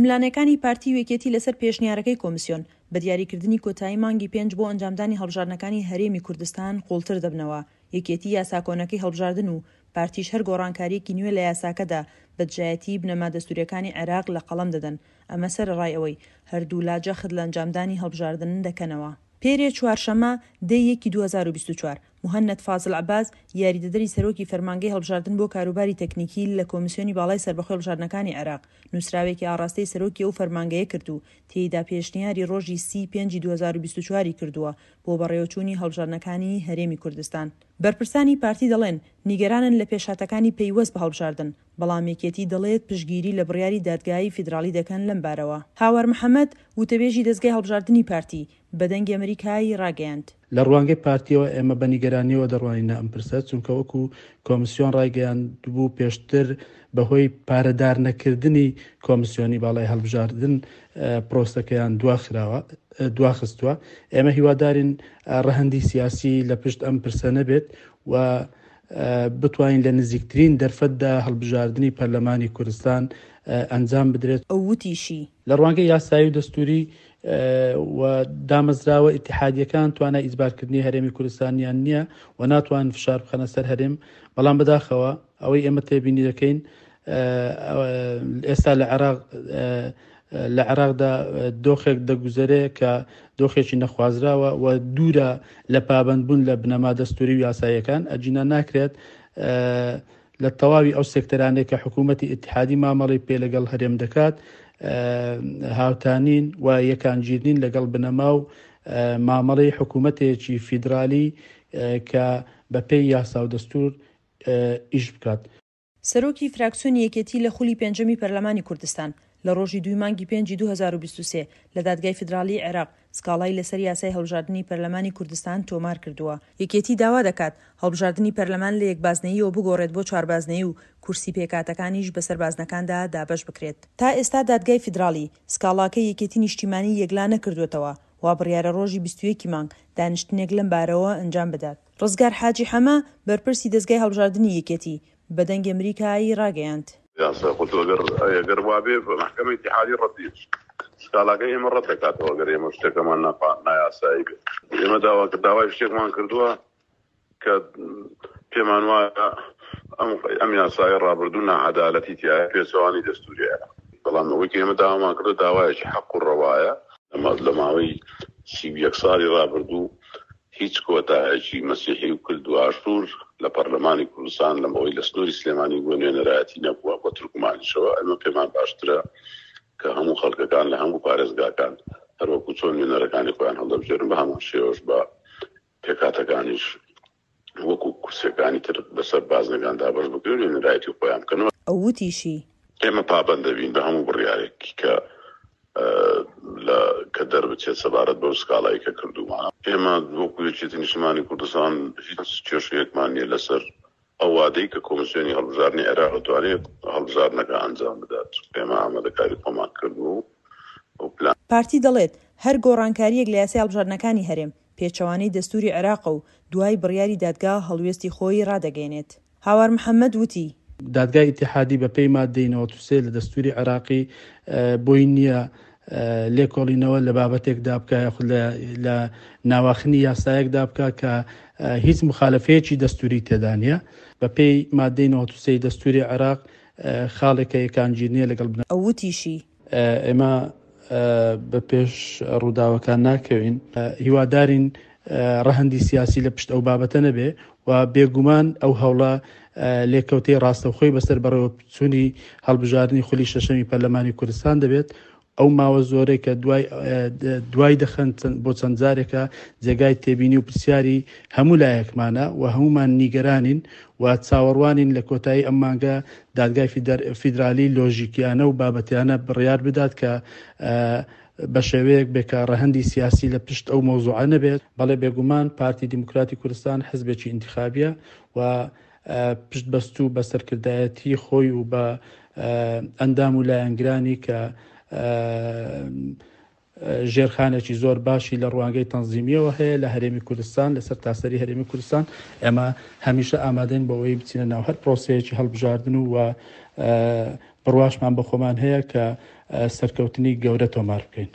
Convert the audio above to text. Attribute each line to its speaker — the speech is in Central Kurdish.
Speaker 1: ململانێکانی پارتی و یەکێتی لەسەر پێشنیارەکەی کۆمسیۆن بە دیاریکردنی کۆتایی مانگی پێنج بۆ ئەنجامدانی هەڵبژاردنەکانی هەرێمی کوردستان قوڵتر دەبنەوە، یەکێتی یاسا کۆنەکەی هەڵبژاردن و پارتیش هەر گۆڕانکارییەکی نوێ لە یاساکەدا بە دژایەتیی بنەما دەستوورییەکانی عێراق لە قەڵەم دەدەن، ئەمە سەرەڕای ئەوەی هەردوولا جەخت لە ئەنجامدانی هەڵبژاردن دەکەنەوە. پێرێ چوارشەممە، دە ی یەکی 2024، موهەنەد فازل عەباس، یاریدەدەری سەرۆکی فەرمانگەی هەڵبژاردن بۆ کاروباری تەکنیکی لە کۆمیسیۆنی باڵای سەربەخۆی هەڵبژاردنەکانی عێراق، نووسراوێکی ئاڕاستەی سەرۆکی ئەو فەرمانگەیە کرد و تێیدا پێشنیاری ڕۆژی سی ی پێنجی 2024 ی کردووە بۆ بەڕێوەچوونی هەڵبژاردنەکانی هەرێمی کوردستان. بەرپرسانی پارتی دەڵێن، نیگەرانن لە پێشهاتەکانی پەیوەست بە هەڵبژاردن، بەڵام یەکێتی دەڵێت پشتگیری لە بڕیاری دادگای فیدراڵی دەکەن لەم بارەوە. هاوار محەمەد، وتەبێژی دەزگای هەڵبژاردنی پارتی، بە دەنگی ئەمریکای ڕاگەیاند.
Speaker 2: لە ڕوانگەی پارتیەوە ئێمە بە نیگەرانیەوە دەڕوانینە ئەم پرسە، چونکە وەکو کۆمسیۆن ڕایگەیاندبوو پێشتر بەهۆی پارەدار نەکردنی کۆمسیۆنی باڵای هەڵبژاردن پرۆسەکەیان دواخراوە دواخستووە. ئێمە هیوادارین ڕەهەندی سیاسی لە پشت ئەم پرسە نەبێت و بتوانین لە نزیکترین دەرفەتدا هەڵبژاردنی پەرلەمانی کوردستان ئەنجام بدرێت.
Speaker 1: ئەو وتیشی.
Speaker 2: لە ڕوانگەی یاسایی و دەستووری و دامەزراوە ئیتیحادییەکان توانای ئیجبارکردنی هەرێمی کوردستانیان نییە و ناتوانن فشار بخەنە سەر هەرێم، بەڵام بەداخەوە ئەوەی ئێمە تێبینی دەکەین ئێستا لە عێراق لە عێراقدا دۆخێک دەگوزەرێ کە دۆخێکی نەخوازراوە و دوورە لە پابەندبوون لە بنەما دەستوری و یاساییەکان، ئەگینا ناکرێت لە تەواوی ئەو سێکتەرانەی کە حکوومەتی ئیتحادی مامەڵەی پێ لەگەڵ هەرێم دەکات هاوتانین و یەکانگیرنین لەگەڵ بنەما و مامەڵەی حکوومەتێکی فیدرالی کە بەپێی یاسا و دەستوور ئیش بکات.
Speaker 1: سەرۆکی فراکسیۆنی یەکێتی لە خولی پێنجەمی پەرلەمانی کوردستان، لە ڕۆژی دووی مانگی پێنجی 2023 لە دادگای فیدراڵیی عێراق سکاڵای لەسەر یاسای هەڵبژاردنی پەرلەمانی کوردستان تۆمار کردووە. یەکێتی داوا دەکات هەڵبژاردنی پەرلەمان لە یەک بازنەییەوە بگۆڕێت بۆ چواربازنەیی و کورسی پێکهاتەکانیش بەسەر بازنەکاندا دابەش بکرێت. تا ئێستا دادگای فیدراڵی سکاڵاکەی یەکێتی نیشتیمانی یەکلا نەکردووەتەوە، وا بڕیارە ڕۆژی 21 ی مانگ دانیشتنێک لەم بارەوە ئەنجام بدات. ڕزگار حاجی حەمە، بەرپرسی دەزگای هەڵبژاردنی یەکێتی، بە دەنگی ئەمریکای ڕاگەیاند.
Speaker 3: یاسا خۆ تۆ گەر ئەگەر وابێ مەحکەمەی ئیتیحادی ڕەتی سکاڵاکەی ئێمە ڕەت دەکاتەوە گەر ئێمە شتەکەمان نایاسایی بێت. ئێمە داوا داوای شتێکمان کردووە کە پێمان وایە ئەم ئەم یاسایە ڕابردوو ناعەدالەتی تیایە پێچەوانی دەستوری عێراق. بەڵام ئەوەی کە ئێمە داوامان کردووە داوایەکی حەق و ڕەوایە. لە ماوەی 31 ساڵی ڕابردوو هیچ کۆتایەکی مەسیحی و کلد و ئاشوور لە پەرلەمانی کوردستان لەم ئەوەی لە سنووری سلێمانی بووە نوێنەرایەتی نەبووە بە تورکمانیشەوە ئەمە پێمان باشترە کە هەموو خەڵکەکان لە هەموو پارێزگاکان هەروەکو چۆن نوێنەرەکانی خۆیان هەڵدەبژێرن بە هەمان شێوەش بە پێکهاتەکانیش وەکو کورسیەکانی تر بەسەر بازنەکان دابەش بکرێن و نوێنەرایەتی خۆیان بکەن.
Speaker 1: ئەو وتیشی.
Speaker 3: ئێمە پابەند دەبین بە هەموو بڕیارێک کە لە کە دەربچێت سەبارەت بەو سکاڵای کە کردوومانە. ئێمە وەکو یەکێتی نیشتمانی کوردستان هیچ کێشەیەکمان نییە لەسەر ئەو وادەی کە کۆمیسیۆنی هەڵبژاردنی عێراق دەتوانێت هەڵبژاردنەکە ئەنجام بدات. ئێمە ئامادەکاری خۆمان کردووە و ئەو پلان.
Speaker 1: پارتی دەڵێت، هەر گۆڕانکارییەک لە یاسای هەڵبژاردنەکانی هەرێم، پێچەوانەی دەستووری عێراقە و دوای بڕیاری دادگا هەڵوێستی خۆی ڕادەگەیەنێت. هاوار محەمەد وتی.
Speaker 2: دادگای ئیتیحادی بە پێی ماددەی 93 لە دەستووری عێراقی بۆی نییە لێکۆڵینەوە لە بابەتێکدا بکا یاخود لە ناواخنی یاسایەکدا بکا کە هیچ مخالفەیەکی دەستووری تێدا نییە. بە پێی ماددەی 93 دەستووری عێراق خاڵێکە یەکانگیر نییە لەگەڵ بنە.
Speaker 1: ئەو وتیشی.
Speaker 2: ئێمە بە پێش ڕووداوەکان ناکەوین، هیوادارین ڕەهەندی سیاسی لە پشت ئەو بابەتە نەبێ و بێگومان ئەو هەوڵە لێکەوتەی ڕاستەوخۆی بەسەر بەڕێوەچوونی هەڵبژاردنی خولی شەشەمی پەرلەمانی کوردستان دەبێت. ئەو ماوە زۆرەی کە دوای دوای دەخەن بۆ چەند جارێکە جێگای تێبینی و پرسیاری هەموو لایەکمانە و هەموومان نیگەرانین و چاوەڕوانین لە کۆتایی ئەم مانگە دادگای فیدرالی لۆژیکیانە و بابەتیانە بڕیار بدات کە بە شێوەیەک بێ کە ڕەهەندی سیاسی لە پشت ئەو مەوزوعە نەبێت. بەڵێ بێگومان پارتی دیموکراتی کوردستان حزبێکی ئینتخابیە و پشت بەستوو بە سەرکردایەتی خۆی و بە ئەندام و لایەنگرانی کە ژێرخانێکی زۆر باشی لە ڕوانگەی تەنزیمییەوە هەیە لە هەرێمی کوردستان، لە سەرتاسەری هەرێمی کوردستان. ئێمە هەمیشە ئامادەین بۆ ئەوەی بچینە ناو هەر پرۆسەیەکی هەڵبژاردن و بڕواشمان بە خۆمان هەیە کە سەرکەوتنی گەورە تۆمار بکەین.